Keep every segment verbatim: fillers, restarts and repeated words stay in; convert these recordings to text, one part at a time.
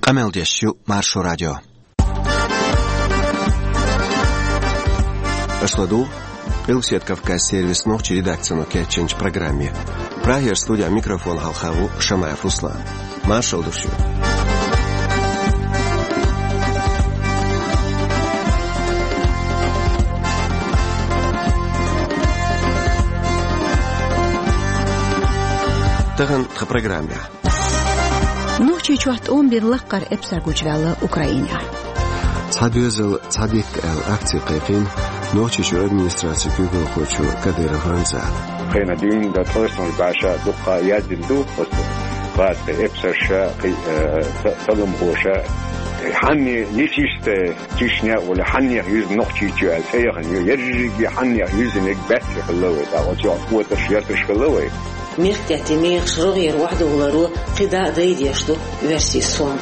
Къамел деш ю Маршо радио. Аша ладугӀу Къилбседа Кавказан сервисан нохчийн редакцино кечйинчу программе. Прагера студин микрофона хьалха ву Шамаев Руслан. Маршалла ду шуьга. Тахана тхан программехь. Нохчийчохь тӀом бина лаккхара эпсар гучуваьлла Украинехь. «Цхьа доьзал, цхьа дитт» аьлла акци кхайкхийна Нохчийчуьра администрацин куьйгалхочо Кадыров Рамзана. Кхайна дуьйна дан тӀоьрсанаш баьша дуккха яздина ду оцу гӀазкхийн эпсарша, кхин, э, та-, талламхоша. Хьанна ницийста Чечня а волу, хьаннех юьзна Нохчийчу аьлла цӀе яхана ю. Ерриге хьаннех юьззинарг баьццара хилла вай. ТӀаккха оцу юкъа кхотарш, еттарш хилла вай. Мехкдаьттан мехаш рогӀера охьадовларо кхидӀа а дайдеш ду оьрсийн сом.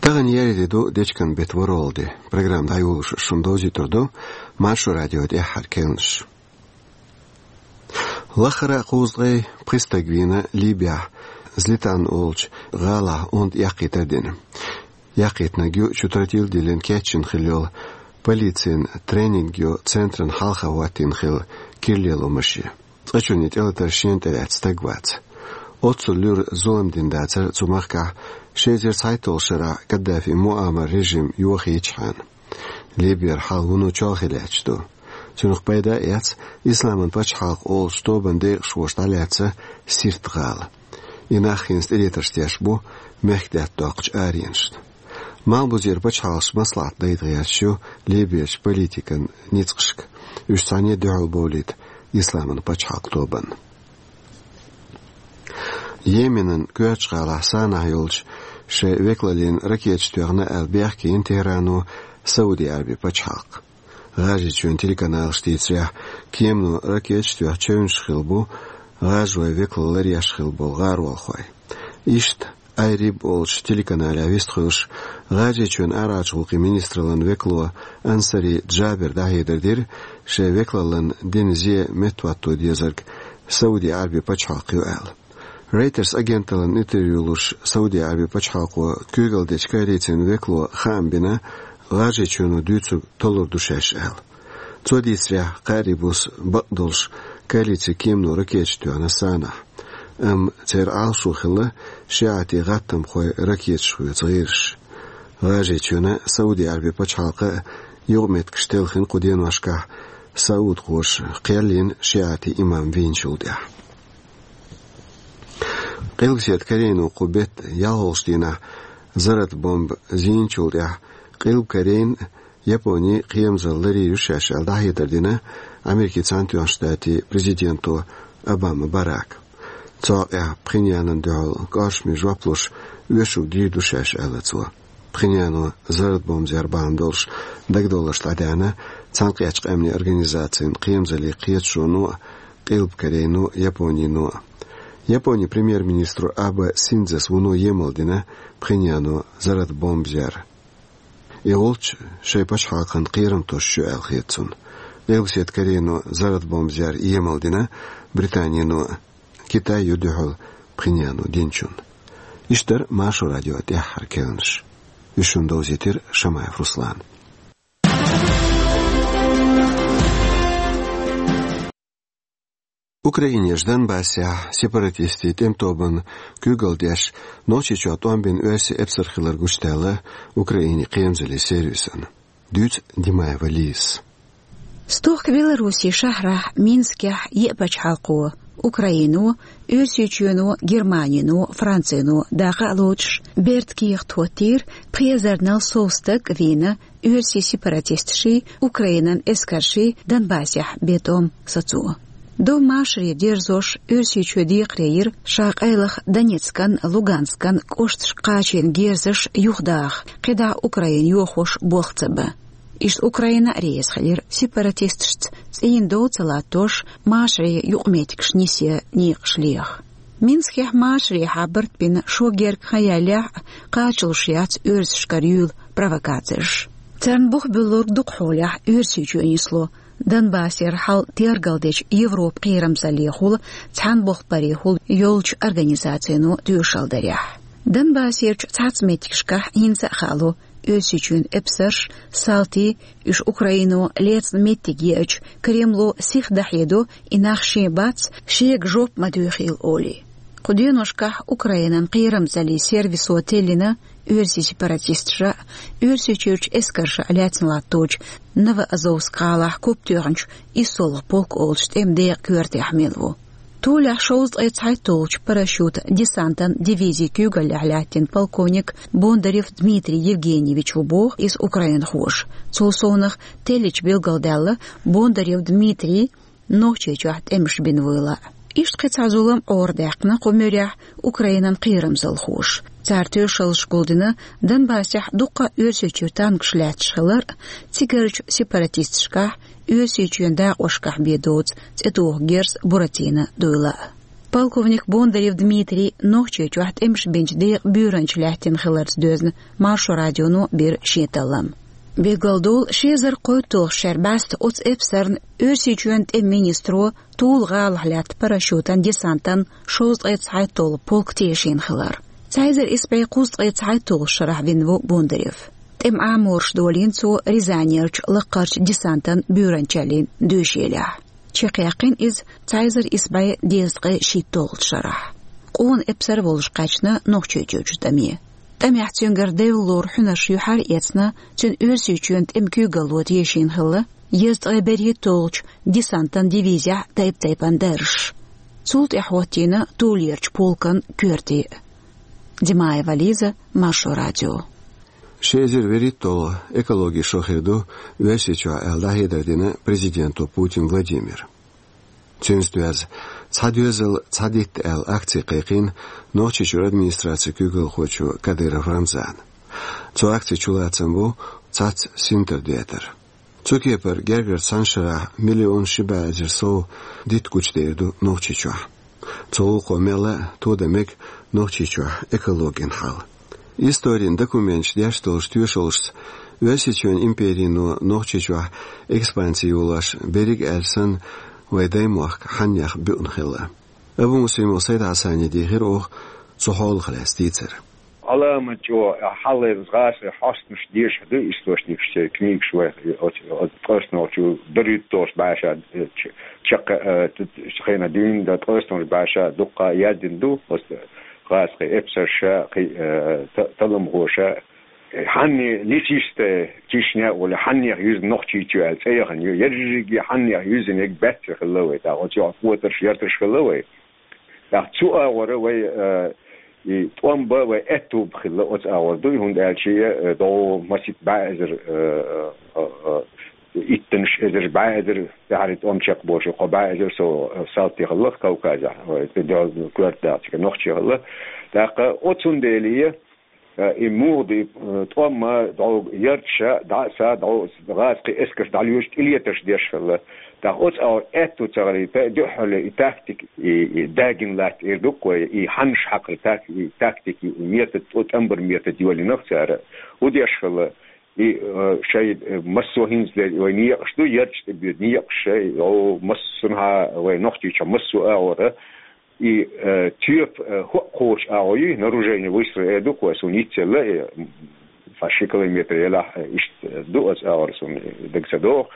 Тахана еарин де ду, дечкен беттан ворхӀалгӀа де. Программа дӀайолош шуна довзуьйтур ду Маршо радион тӀаьххьара кхаьънаш. Лаххара а кхузткъе пхи стаг вийна Ливехь Злитан олучу гӀалахь онда яккхийтар дина. Яккхийтинарг ю чу тротил диллина кечйина хилла йолу полицин тренинг йо центран хьалха хӀоттийна хилла кира лело машен. Цкъачунна тӀелатар шена тӀелаьцна стаг вац. Оццул луьра зулам дина дацара цу махкахь ши эзар цхьайтталгӀачу шарахь Каддафин муамар режим йохийчхьана. Ливера хьал вуно чолхе лаьтташ ду. Цунах пайда а эцна, Исламан пачхьалкх олучу тобанан декъашхоша дӀалаьцна Сирт гӀала. И нах хӀинца тӀелетарш деш бу мехкдаьтта доккхучу аренашна. Малхбузера пачхьалкхаш маслаӀат дайта гӀерташ ю Ливерчу политикан ницкъашка, уьш цхьаьна а дуьхьал бовлийта Исламан пачхьалкх тобанна. Йеменан коьртачу гӀалахь Санахь йолчу шайн векалаллина ракеташ тоьхна аьлла бехке йина Тегьрано Сауди Ӏаьрбийн пачхьалкх. ГӀажарийчоьнан телеканалаша дийцарехь, кемано ракеташ тоьхна чевнаш хилла бу гӀажарой векалалла ларъеш хилла болу гӀаролхой. Иштта Ай-Риб олучу телеканалехь вистхуьлуш, ГӀажарийчоьнан арахьарчу гӀуллакхийн министраллин векало Ансари Джабира дӀахьедар дира, шайн векалаллина дина зе меттахӀотто дезарг Сауди Ӏаьрбийн пачхьалкх ю аьлла. Рейтерс агенталлина интервью луш, Сауди Ӏаьрбийн пачхьалкхо куьйгалла дечу коалицин векало хаам бина, ГӀажарийчоьно дуьйцург толлур ду шаьш аьлла. Цо дийцарехь, кхаа бус бакъ долуш коалицин кемано ракеташ тоьхна Санахь. Амма церан Ӏалашо хилла шиӀатийн гӀаттамхойн ракеташ хоьцу гӀирсаш. ГӀажарийчоьнан а, Сауди Ӏаьрбийн пачхьалкхан а юкъаметтигаш телхина кху деношкахь саудхоша кхел йина шиӀатийн имам вийначул тӀаьхьа. Къилбаседа Корейно кху беттан ялхалгӀачу дийнахь заррат бомба зийначул тӀаьхьа Къилба Корейна а, Япони а кхерамзалла ларйийр ю шаьш аьлла дӀахьедар дина Америкин Цхьаьнатоьхначу Штатийн президенто Обама Барака. Цу хьокъехь Пхеньянна дуьхьал кӀоршаме жоп луш, оьшург дийр ду шаьш аьлла цо. Пхеньяно заррат бомба зер бахьана долуш дагадовларш дӀадаьхьна Цхьаьнакхеттачу Къаьмнийн Организацин кхерамзаллин кхеташоно а, Къилба Корейно а, Японино а. Японин премьер-министро Абе Синдзес вуно емал дина Пхеньяно заррат бомба зер. И гӀулч шайн пачхьалкхан кхерам тосуш ю аьлла хета цунна. Къилбаседа Корейно заррат бомба зер емал дина Британино а, Китай ю дуьхьал Пхеньяно динчунна. Иштта дара Маршо радион тӀаьххьара кхаьънаш. Уьш шуна довзийтира Шамаев Руслана. Украинерчу Донбассехь сепаратистийн тӀеман тобанна куьйгалла деш, Нохчийчохь тӀом бина оьрсийн эпсар хилар гучудаьлла Украинин кхерамзаллин сервисана. Дуьйцу Димаева Лизас. Стохка Белоруссин шахьарахь Минскехь еа пачхьалкхо, Украино, Оьрсийчоьно, Германино, Францино дакъа а лоцуш, бертан кехат хӀоттийра, пхи эзарнал сов стаг а вийна оьрсийн сепаратисташий, Украинан эскарший Донбассехь бен тӀом сацо. Дов машаре дерзош, Оьрсийчоь декхаре йира ша къайлаха Донецкан, Луганскан кӀошташка кхачийна герзаш юхадаха, кхидӀа Украина йохош болх ца бан. Иштта Украина а реза хилира сепаратисташца цӀийнан дов ца латтош, машарийн юкъаметтигаш нисъян некъаш леха. Минскехь машарехьа барт бина шо герга хан яллехь а, кхачалуш яц оьрсашкара юьйлу провокацеш. Царна бух буьллург дукха хьолехь Оьрсийчоь нисло. Донбассера хьал тергалдечу Европа кхерамзаллехула, цхьаьна бохпарехула йолчу организацино тоьшалла дарехь. Донбассерчу цхьацца меттигашкахь хӀинца а хаало, Оьрсийчоьнан эпсарш, салтий, уьш Украино лецна меттиг еача, Кремло сиха дӀахьедо, и нах шен бац, шега жоп ма доьхийла олий. Кху деношкахь Украинан кхерамзаллин сервисо теллина, оьрсийн сепаратисташа а, Оьрсийчуьрчу эскарша а лаьцна латточу Новоазовск гӀалахь куп тоьхначу иссолгӀа полк олучу тӀеман декъан коьртехь мила ву. Тулехь шовзткъе цхьайтталгӀачу парашютан десантан дивизин куьйгаллехь лаьттина полковник Бондарев Дмитрий Евгеньевич ву боху иза украинхоша. Цул совнах теллича билгалдаьлла, Бондарев Дмитрий Нохчийчохь тӀемаш бина вуйла. Иштта кхин цхьа зулам Ӏорадаьккхина кху муьрехь Украинан кхерамзалхоша. Цара тоьшаллаш гулдина Донбассехь дуккха а Оьрсийчуьра танкаш лаьтташ хилар а, цигарчу сепаратисташкахь Оьрсийчоьнан дакъошкахь бен доцу цӀе туху герз Буратино дуйла а. Полковник Бондарев Дмитрий Нохчийчохь тӀемаш бинчу декъан буьйранча лаьттина хиларца доьзна Маршо радионо бира шен таллам. Билгалдолу, ши эзар кхойтталгӀачу шеран бӀаьста оцу эпсарна Оьрсийчоьнан тӀеман министро Тула гӀалахь лаьтта парашютан десантан шовзткъе цхьайтталгӀа полк тешийна хилар. Цхьа эзар исс бӀе кхузткъе цхьайтталгӀачу шарахь вина ву Бондарев. ТӀеман Ӏамораш долийна цо Рязанерчу лакхарчу десантан буьйранчаллин доьшийлехь. Чекхъяьккхина иза цхьа эзар исс бӀе дезткъе шийтталгӀачу шарахь. Къона эпсар волуш кхаьчна Нохчийчуьрчу тӀаме. ТӀамехь цуьнгара девлла лору хьуьнарш юьхьар а эцна, цуьнан Оьрсийчоьнан тӀеман куьйгалло тешийна хилла езткъе берхӀитталгӀачу десантан дивизехь тайп-тайпана даржаш. Цул тӀаьхьа хӀоттийна Тулерчу полкан коьрте. Димаева Лиза, Маршо радио. Ши эзар вуьрхӀитталгӀа экологин шо хир ду Оьрсийчохь аьлла дӀахьедар дина президенто Путин Владимира. Цуьнца доьзна «Цхьа доьзал, цхьа дитт» аьлла акци кхайкхийна Нохчийчуьра администрацин куьйгалхочо Кадыров Рамзана. Цу акцин чулацам бу цхьацца синтар детар. Цу кепара гергара цхьана шарахь миллион ши бӀе эзар сов дитт гучудер ду Нохчийчохь. Цу гӀуллакхо мелла а тодан мега Нохчийчохь экологин хьал. Историн документаш деш долчу тоьшаллашца, Оьрсийчоьнан империно Нохчийчохь экспанси йолош, берриг аьлла санна, вайн даймохк хьаннех буьъна хилла. Абумуслимов Сайд-Хьасане дийхира оха цу хьолах лаьцна дийцар. Ӏаламат чӀогӀа хьалхара гӀазкхийн хьостанаш дешаш ду источникаш, церан книгаш вай оцу, оцу ткъаснолчу берхӀитталгӀачу бӀешеран, э, ч-, чекх-, э, т-, т-, хенахь дуьйна дан ткъаснолчу бӀешеран дуккха яздина ду оцу гӀазкхийн эпсарша, кхин, э, та-, талламхоша. Хьанна нечистая Чечня олий, хьаннех юьзна Нохчийчоь аьлла цӀе яхана ю. Ерриге хьаннех юьзна яга баьццара хилла вай. ТӀаккха оцу йолчу отарш, ярташ хилла вай. ТӀаккха цу агӀора вай, э, и тӀом бан вай аьтту бан хилла оцу агӀор дуй, хӀунда аьлча, э, догӀу масийтта бӀе эзар, э, э, э, иттанаш эзар, бӀе эзар тӀаьхьара тӀом чекхболуш, кхо бӀе эзар сов, э, салти хилла Кавказехь, вай, тӀе дуьхьал коьрта дахча, нохчий хилла. ТӀаккха оцундела, э, и муха ду, э, тӀом а догӀу ярташа дӀа а са, догӀу гӀазкхийн эскарш дӀалоьцуш, тӀелетарш деш хилла. ТӀаккха оцу агӀор аьтту ца гӀарийта, дуьххьарлера и тактика, и, и дагина латта эр ду-кх вай, и хьаннаш хьакхар так-, и тактика, и метод, тӀо-, тӀамбар метод йолийнарх цара. ХӀун деш хилла? И, э, шайн, э, массо а хӀинца дерг вай некъаш ду, ярташ тӀе боьду некъаш, шайн, о, массанхьа вай Нохчийчохь массо а агӀора. И, э, тоьпан, э, хӀоъ кхочу агӀо ю, наружение выстрела эр ду-кх вай, суна йицъелла, э, м, цхьа ши километр елахь, э, иштта ду оцу агӀор, суна дага ца догӀу.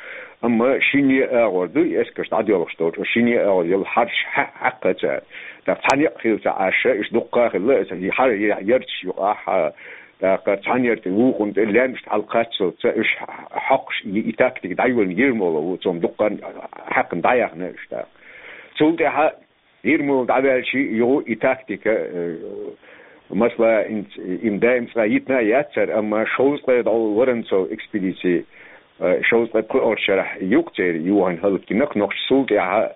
Амма шинне а агӀор ду, и эскарш дӀадоьлхуш долчу, шинне а агӀор йолу хьарш хьа-, хьаькхна цара. ТӀаккха цхьа некъ хилла ца Ӏаш, иштта дуккха а хилла, и хьар-, я-, ярташ юкъахь, тӀаккха цхьана яртан вукхунна тӀе лаьмнашна хьалакхаччалц уьш хьокхуш, и, и тактика дӀайолийна Ермолов ву, цунна дуккха а хьаькхна дӀаяьхна уьш тӀаккха. Цул тӀаьхьа Ермолов дӀаваьлча, юха и тактика, э, масала, инц-, им даим цкъа йитина а яц цара, амма шовзткъе дӀо Воронцов экспедици, э, шовзткъе пхоьалгӀачу шарахь юкъ церан юхана хӀаллакдина нохчий, цул тӀаьхьа,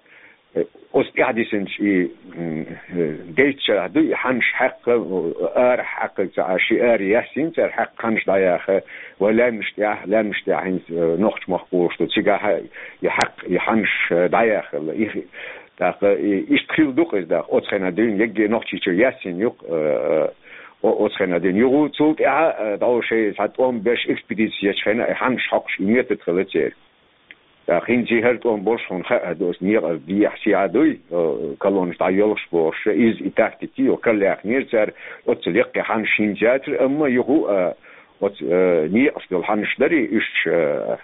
э, оцу тӀаьхьа дисинчу и, м, э, гайта шарахь ду и хьаннаш хьаькхна, э, арахь хьаькхна ца Ӏаш, ши ара яьссина цара хьаькхна хьаннаш дӀаяха, вай лаьмнаш тӀехь, лаьмнаш тӀехь хӀинца, э, нохчийн мохк олуш ду, цигахь и хьаькхна, и хьаннаш, э, дӀаяха хилла. И хи-, тӀаккха и, иштта хилла ду-кх иза, тӀаккха оцу хенахь дуьйна егге Нохчийчоь яьссина ю-кх, э, о-, оцу хенахь дуьйна. Юха цул тӀаьхьа, э, дӀо шайн цхьа тӀом беш экспедици ечу хенахь, и хьаннаш хьокхуш и метод хилла церан. ТӀаккха хӀинца хӀара тӀом болуш хьуна хаьа ду, аса некъа дехьа-сехьа дуй, э, колоннаш дӀайолхуш бохуш, иза и тактика ю, карла яьккхинера цара, оццул яккхий хьанаш хӀинца яцара, амма юха а оцу, э, некъаш долу хьанаш дарий, уьш, э,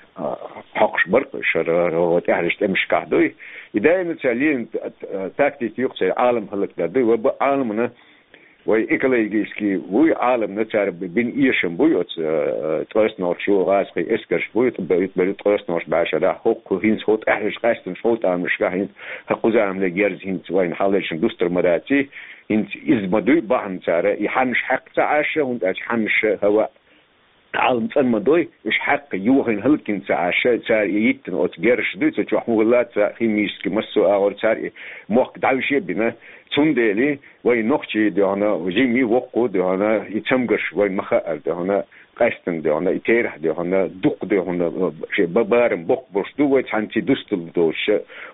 хьокхуш бара-кх уьш, хӀара, хӀара тӀаьхьарчу тӀемашкахь дуй. И даима цара лелийна т-, т-, тактика ю-кх церан, Ӏалам хӀаллакдар дуй, ва бакъ Ӏаламна, вай экологически вуй, Ӏаламна цара бина эшам буй оцу, э, ткъеснолчу гӀазкхийн эскарш буй, ткъеснолчу бӀешарахь шарахь, хӀокху хӀинца хӀокху тӀаьхьарчу къаьсттина шовзткъа тамашкахь хӀинца хӀокху кхузаманиг ерза хӀинца вайна хьалаьцначун дустар ма дац, хӀинца иза ма дуй бахьана цара, и хьанаш хьаькхна ца Ӏаш, хӀунда аьлча хьанаш хӀаваъ Ӏалам цӀан ма дой, уьш хьаькхна, йохийна, хӀаллакйина ца Ӏаш, цара и йиттина оцу герзаш дуй, цу чохь хӀун хилла а ца, химически массо а агӀор цара и мохк дӀавише а бина, цундела вай нохчий дуьхьал, жимий, воккхо дуьхьал, и цамгарш вай ма хаара дуьхьал, къаьсттина дуьхьал, и терахь дуьхьал, дукха дуьхьал, шен ба-, барам боккха болуш ду вай цхьаьнций дустал доцуш,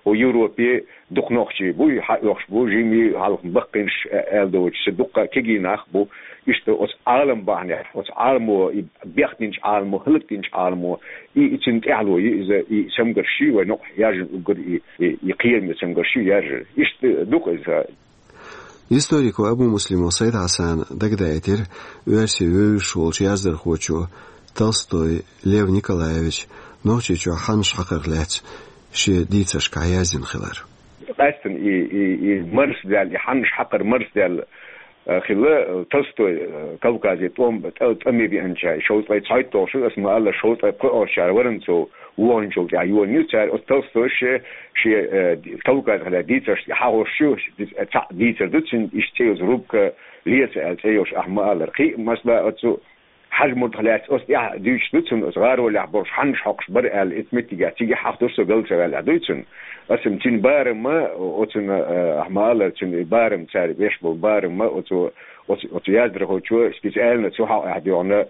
хӀу Европе, дукха нохчий бу, и хьаоьхуш бу, жимий, хьалха баккхийнаш, а-, аьлла доцуш, дуккха кегий нах бу. Иштта оцу Ӏалам бахьанехь, оцу Ӏаламо, и бехнинчу Ӏаламо, хӀаллакдинчу Ӏаламо, и, и цуьнан тӀаьхьало ю иза, и цамгарш ю вай нохчий яьржина уггар, и, и, и кхераме цамгарш ю яьржира. Иштта ду-кх иза. Историко Абумуслимов Сайд-Хьасана дагадаийтира оьрсий вевзаш волчу яздархочо Толстой Лев Николаевича Нохчийчохь хьанаш хьакхарх лаьцна шен дийцаршкахь яздина хилар. Къаьсттина и, и, и марсадаьлла, и хьанаш хьакхар марсадаьлла, э, хилла, э, Толстой, э, Кавказе тӀом-, тӀа-, тӀаме веанчохь, шовзткъе цхьайтталгӀа шо, аса ма-аллара, шовзткъе кхоалгӀачара варанцо ваханчул тӀаьхьа йолийна ю цара. Оцу Толстойс шен, шен, э, ди-, Кавказехь лаьцна дийцарш хьахьош ю, цхьаъ дийцар ду цуьнан, иштта цӀе йолчу рубка «Леса» аьлла цӀе йолуш, ахь ма-аллара. Кхин а, масала, оцу Хьажа-Мурдах лаьцна оцу тӀехь дуьйцуш ду цунна, оцу гӀаролехь болуш хьанаш хьокхуш бара аьлла, оцу меттигехь цигахь хьахадо со гал ца ваьллехь дуй цунна. Аса-м цуьнан барам-м, оцунна, э, ахь ма-аллара, цуьнан и барам, цара беш болу барам-м, оцу, оцу, оцу яздархочо специально цу хьокъехь дуьхьал,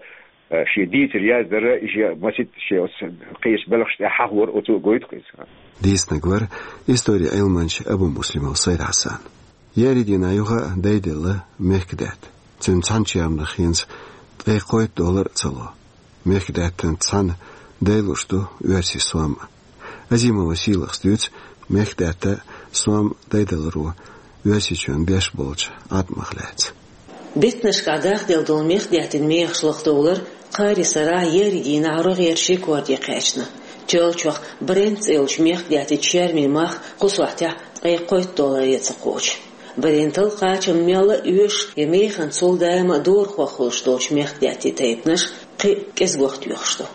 э, шен дийцар яздара, и шен масийтта шен оцу кхечу белхаш тӀехь хьахора, оцо гойту-кх иза. Дийцинарг вара историн Ӏилманча Абумуслимов Сайд-Хьасан. Еарин дийнахь юха а дайделла мехкадаьтта. Цуьнан цхьана черманах хӀинца ткъе кхойтта доллар а ца ло. Мехкадаьттанца цхьаьна дайлуш ду оьрсийн сом а. Азимова Сийлахас дуьйцу мехкадаьтта сом дайдаларо Оьрсийчоьнна беш болчу Ӏаткъамах лаьцна. Беттанашкахь дахделла долу мехкадаьттан мехаш лахдовлар кхаарин сарахь еарин дийнахь рогӀерчу рекорде кхаьчна. Тоьллачох Брент цӀе йолчу мехкадаьттан чермийн мах кху сохьтехь ткъе кхойтта долларе ца кхочу. Брентал кхачамна мелла а оьшуш я механцал даима а дорахо хуьлуш долчу мехкадаьттан тайпанаш кхин а кӀезигох тоьхуш ду.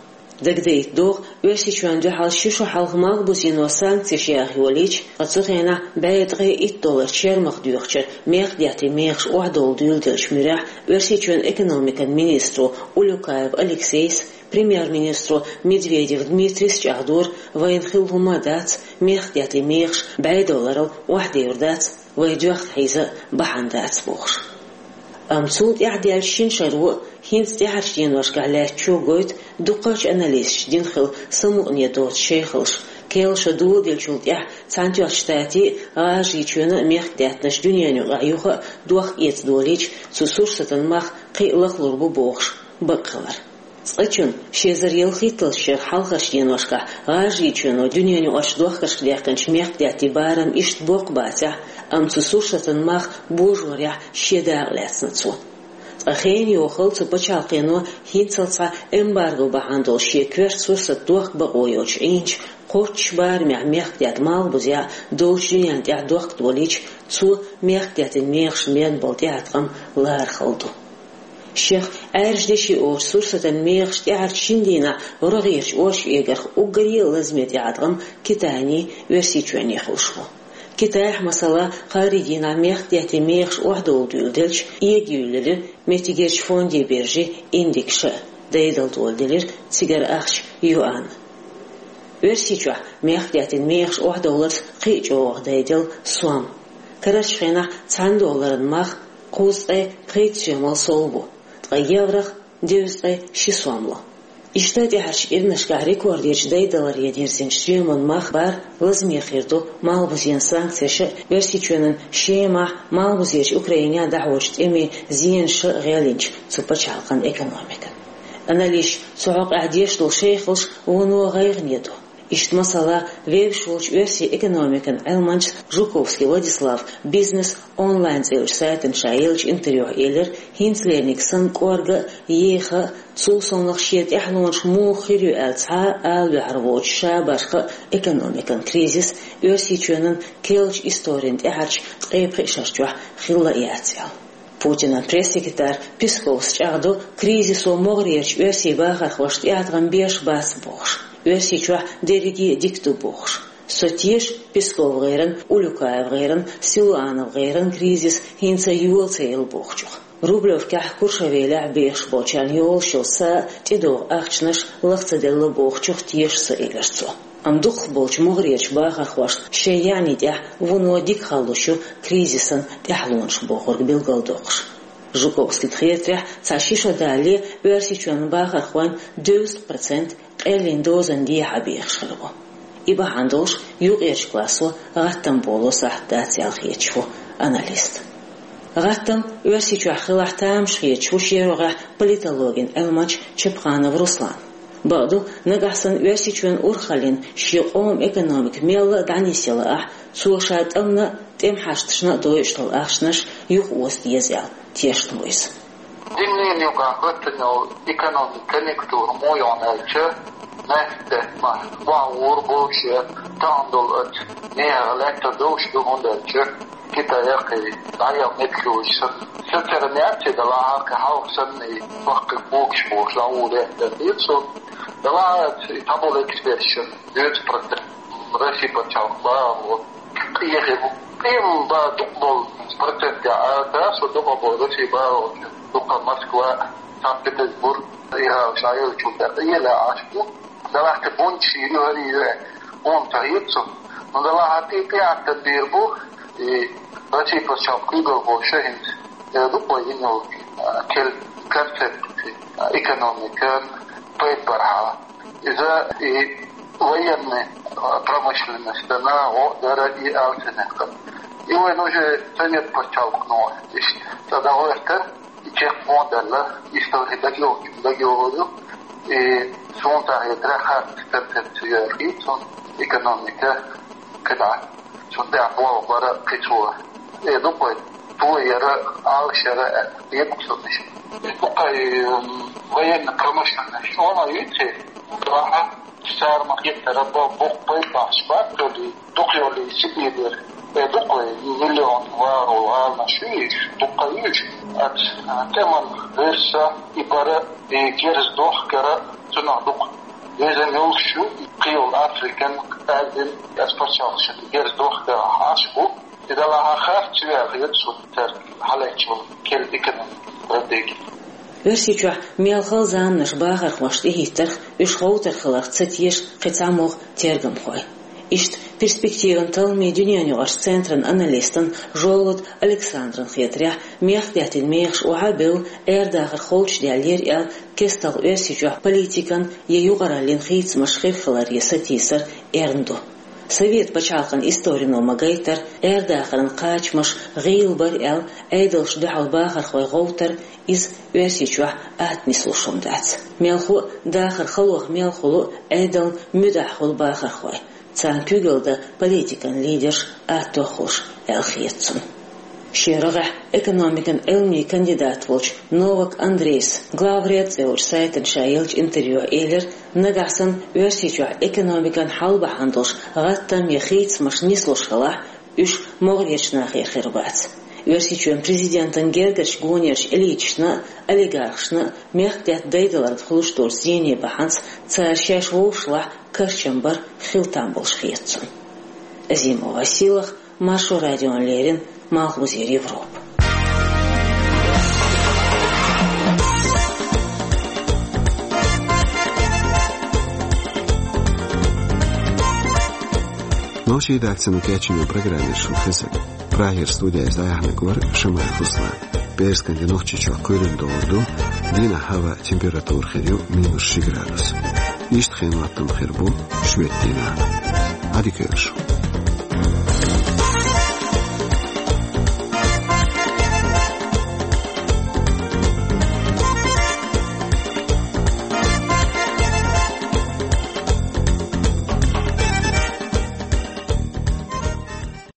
Дагадаийта догӀу, Оьрсийчоьнна дуьхьал ши шо хьалха Малхбузено санкцеш яха йолийча, ткъа цу хенахь бӀе ткъе итт доллар чермах доьхучу мехкадаьттан мехаш охьадовла дуьйладеллачу муьрехь Оьрсийчоьнан экономикан министро Улюкаев Алексейс, премьер-министро Медведев Дмитрийс чӀагӀдора, вайна хилла хӀума а дац, мехкадаьттан мехаш бӀе долларал охьадевр дац, вай доьхна хьийза а бахьана дац бохуш. Амма цул тӀаьхьа даьллачу шина шаро а, хӀинца тӀаьхьарчу деношкахь лаьттачо а гойту дукхачу аналисташа дина хилла самукъане доцу шайхаллаш, керла шо доладеллачул тӀаьхьа Цхьаьнатоьхначу Штатийн а, ГӀажарийчоьнан а мехкадаьттанаш дуьненаюкъахь юха а дохка эца долийча, цу сурсатан мах кхин а лахлур бу бохуш бакъ хилар. Цкъачунна, ши эзар ялхитталгӀачу шеран хьалхарчу деношкахь ГӀажарийчоьно дуьненаюкъарчу дохкаршка даьккхинчу мехкадаьттан барам иштта боккха бацахь а, амма цу сурсатан мах божорехь шен дакъа лаьцна цо. Ткъа хенан йохалла цу пачхьалкхено хӀинццалц схьа эмбарго бахьана долу шен коьрта сурсат дохка бакъо йоцуш Ӏийначу кхоччуш барамехь мехкадаьтта Малхбузехь долчу дуьненна тӀехь дохка долийча, цо мехкадаьттан мехашна бен болу тӀеӀаткъам лархалла ду. Шех Ӏаьржа деши олучу сурсатан мехаш тӀаьхьарчу шина дийнахь рогӀерчу оршуш эгарх уггаре а лазаме тӀеӀаткъам Китайний, Оьрсийчоьнний хуьлуш бу. Китайхь, масала, кхаарин дийнахь мехкадаьттан мехаш охьадовла дуьйладелча, эгаюьйлира меттигерчу фондийн биржийн индекс а, дайдала доладелира цигара ахча юань. Оьрсийчохь мехкадаьттан мехаш охьадовларца кхин а чӀогӀа дайделла сом. Карарчу хенахь цхьана долларан мах кхузткъе пхийтта соьмал сов бу, ткъа еврох дезткъе ши сом ло. Иштта тӀаьхьарчу кӀирнашкахь рекордерчу дайдаларе дирзинчу соьман мах бар лазаме хир ду Малхбузен санкцеша а, Оьрсийчоьнан Шемахь, Малхбузерчу Украинехь дӀахьочу тӀемийн зенаша а гӀелйинчу цу пачхьалкхан экономикан. Аналисташа цу хьокъехь деш долу шайхаллаш вуно гӀайгӀане до. Иштта, масала, вевзаш волчу оьрсийн экономикан Ӏилманчо Жуковский Владислава «Бизнес онлайн» цӀе йолчу сайтана ша еллачу интервьюхь элира, хӀинца лерниг санна кӀорга а, еха а, цул совнаха шен тӀаьхьалонаш муха хир ю аьлла цхьа а ала ваьхьар воцуш, ша башха а экономикан кризис Оьрсийчоьнан керлачу историн тӀаьхьарчу ткъе пхи шарчохь хилла а яц аьлла. Путинан пресс-секретарь Песковс чӀагӀдо, кризисо могӀарерчу оьрсийн бахархошна тӀеӀаткъам беш бац бохуш, Оьрсийчохь дерриге а дика ду бохуш. Со теша Песков-гӀеран, Улюкаев-гӀеран, Силуанов-гӀеран кризис хӀинца а йола ца елла бохучух. Рублевкехь, Куршавелехь бехаш болчарна йолуш йолу са а, тӀедогӀу ахчанаш лаха ца делла бохучух теша со, элира цо. Амма дукхахболчу могӀарерчу бахархошна шайн яьӀни тӀехь вуно дика хала луш ю кризисан тӀаьхьалонаш бохург билгалдоккхуш. Жуковскийна хетарехь, цхьа ши шо далале Оьрсийчоьнан бахархойн девяносто процент къеллин дозан дехьа бехаш хир бу. И бахьана долуш юкъерчу классо гӀаттам боло сахьт дац аьлла хеташ ву аналист. ГӀаттам Оьрсийчохь хилахь тамаш хеташ ву шен рогӀехь политологин Ӏилманча Чапханов Руслан. Бакъду, нагахь санна Оьрсийчоьнан урхаллин шен къоман экономика мелла а дӀанисъяла ахь, цо ша тӀамна а, тӀемахьашташна а дойуш долу ахчанаш юхаоза деза аьлла, тешна ву иза. Диннийн юкъахь хӀоьттина йолу экономикан конъюнктура муха ю аьлча, наьстта ма бохур болуш я, тахана долу оцу нехан лаьттара довш ду, хӀунда аьлча Китай яккхий дӀаяла меттиг йолуш санна. Соцуьнан реакция далахьара кхин хьалха санна, и баккхий когаш бохуш, дӀагӀур лаьттара дийца со. Далахьара и цхьаболу эксперташна девяносто процент Россия пачхьалкх бахар бу. Къехи бу. Къеман бан дукха болу процент я, а, да, со дукха болу Россия бахар, дукха Москва, Санкт-Петербург, и хьал шайолчу да, и ла аш бу. Далахь те бунчи юхари ю, он та ецу. Но далахь те тиатта бир бу, и Россия пачхьалкх куьйгалхо шахинц. Э, дукха йина йолу, а, кел концепция, а, экономика, пайда бархьа. Иза и военный, а, промышленность, она, о, дара и алтернатива. И вайн уже совет пачхьалкх, но, иш, тогда это, и чек моделла, история дагио-, дагио-, и суна тахьа трахат концепция, и сун экономика, когда, сун да, бо, бара, кицуа. Э, дукха, туа яра, алш яра, э, дукха суниш. Дукха, э, военно-промышленность, она, видите, ага. Цара ма хеттара бо-, боккха пайда бахьаш бац, то ли дукха йолу Сибирера. Э, дукха миллион варо аланаш ю, дукха юш. Ац, а, тӀеман верса, и бара, и герз дохкара, цунах дукха. Везан йолуш ю, и кхийол Африкан, Азин, аспарчалхашан герз дохкара хьаш бу. И далахьа харц веа хӀета шу цара хьалеччо кел экономика стратеги. Оьрсийчохь мел хала заманаш бахархошна тӀехӀиттарх, уьш гӀовтар хиларх ца теша кхин цхьа могӀа тергамхой. Иштта, «Перспективан» талламийн дуьненаюкъарчу центран аналистан Жолвуд Александран хетарехь, мехкдаьттан мехаш охьа а бевлла, арадахар холчу даьллера аьлла, кестта Оьрсийчохь политикан я юкъараллин хийцамаш хир хиларе сатийсар эрна ду. Совет пачхьалкхан историно ма гайтара, арадахаран кхачамаш гӀийла бара аьлла, Ӏедалшна дуьхьал бахархой гӀовтар, иза Оьрсийчохь атта нислуш хӀума дац. Мелхо а, дахар халох мел хуьлу а, Ӏедална муьтӀахь хуьлу бахархой, царна куьйгалла дан политикан лидерш атто хуьлуш, аьлла хета цунна. Шен рогӀехь экономикан Ӏилмийн кандидат волчу Новак Андрейс «Главред» цӀе йолчу сайтана ша еллачу интервьюхь элира, нагахь санна Оьрсийчохь экономикан хьал бахьана долуш гӀаттам я хийцамаш нислуш хилахь, уьш могӀарерчу нахера хир бац. Оьрсийчоьнан президентан гергарчу гонерчу элиташна а, олигархашна а мехкдаьтта дайдаларна хуьлуш долчу зене бахьанца цара шаьш вовшашлахь карчам бар хила там болуш хета цунна. Азимова Силах, Маршо радиона леррина, Малхбузера Европа. Нохчийн редакцино кечйина программа шуна хезира. Прагера студера иза дӀаяьхьнарг вара Шамаев Руслан. ПӀераскан де Нохчийчохь кхоьлина догӀур ду, дийнахь хӀаваан температура хир ю минус ши градус. Иштта хенан хӀоттам хир бу шоьтан дийнахь. Ӏадика йойла шун.